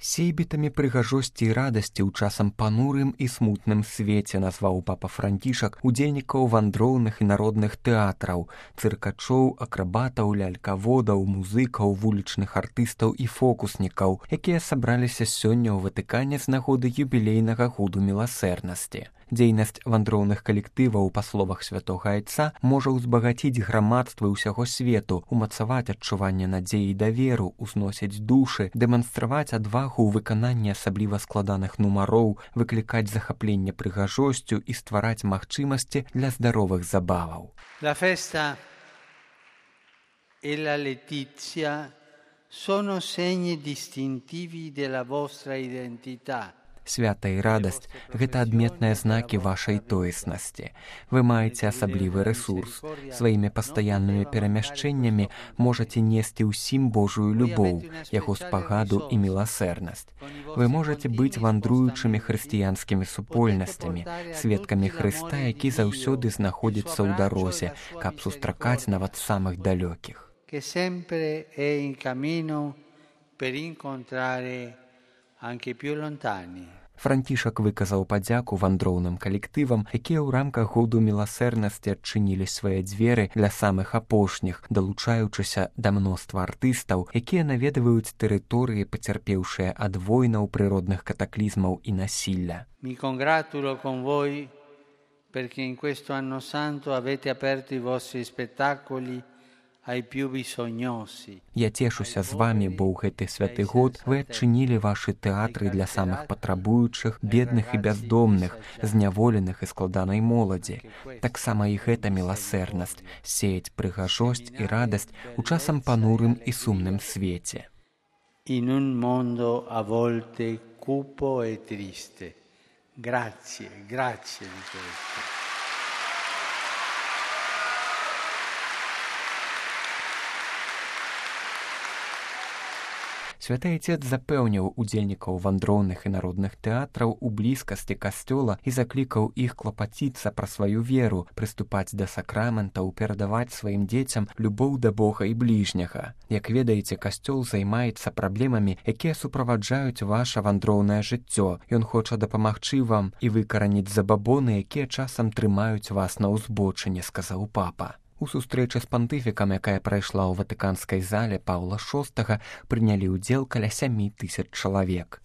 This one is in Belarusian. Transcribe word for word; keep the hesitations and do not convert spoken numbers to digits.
Сейбітамі прыгажосці і радасці ў часам панурым і смутным свеце назваў папа Францішак удзельнікаў вандроўных і народных тэатраў, цыркачоў, акрабатаў, лялькаводаў, музыкаў, вулічных артыстаў і фокуснікаў, якія сабраліся сёння ў Ватыкане з нагоды юбілейнага году міласэрнасці. Дзейнасць вандроўных калектываў, па словах святога айца, можа ўзбагаціць грамадствы ўсяго свету, умацаваць адчуванне надзеі і даверу, узносіць душы, дэманстраваць адвагу ў выкананні асабліва складаных нумароў, выклікаць захапленне прыгажосцю і ствараць магчымасці для здаровых забаваў. La festa e la letizia sono segni distintivi della vostra identità. Свята і радасць – гэта адметныя знакі вашай тоеснасці. Вы маеце асаблівы рэсурс. Сваімі пастаяннымі перамяшчэннямі можаце несці ўсім Божую любоў, яго спагаду і міласэрнасць. Вы можаце быць вандруючымі хрысціянскімі супольнасцямі, сведкамі Хрыста, які заўсёды знаходзіцца ў дарозе, каб сустракаць нават самых далёкіх. Que sempre è in cammino per incontrare anche più lontani. Францішак выказаў падзяку вандроўным калектывам, якія ў рамках году міласэрнасці адчынілі свае дзверы для самых апошніх, далучаючыся да мноства артыстаў, якія наведваюць тэрыторыі, пацярпеўшыя ад войнаў, прыродных катаклізмаў і насілля. Mi congratulo con voi perché in questo anno santo avete aperto i vostri spettacoli ai più bisognosi. Я цешуся з вамі, бо ў гэты святы год вы адчынілі вашы тэатры для самых патрабуючых, бедных і бяздомных, зняволеных і складанай моладзі. Таксама і гэта міласэрнасць, сеяць прыгажосць і радасць у часам панурым і сумным свеце. In un mondo a volte cupo e triste. Grazie, grazie di questo. Святы Айцец запэўніў удзельнікаў вандроўных і народных тэатраў у блізкасці касцёла і заклікаў іх клапаціцца пра сваю веру, прыступаць да сакраментаў, перадаваць сваім дзецям любоў да Бога і бліжняга. Як ведаеце, касцёл займаецца праблемамі, якія суправаджаюць ваша вандроўнае жыццё. Ён хоча дапамагчы вам і выкараніць забабоны, якія часам трымаюць вас на ўзбочыне, сказаў папа. У сустрэчы з пантыфікам, якая прайшла ў ватыканскай зале Паўла шостага, прынялі ўдзел каля сямі тысяч чалавек.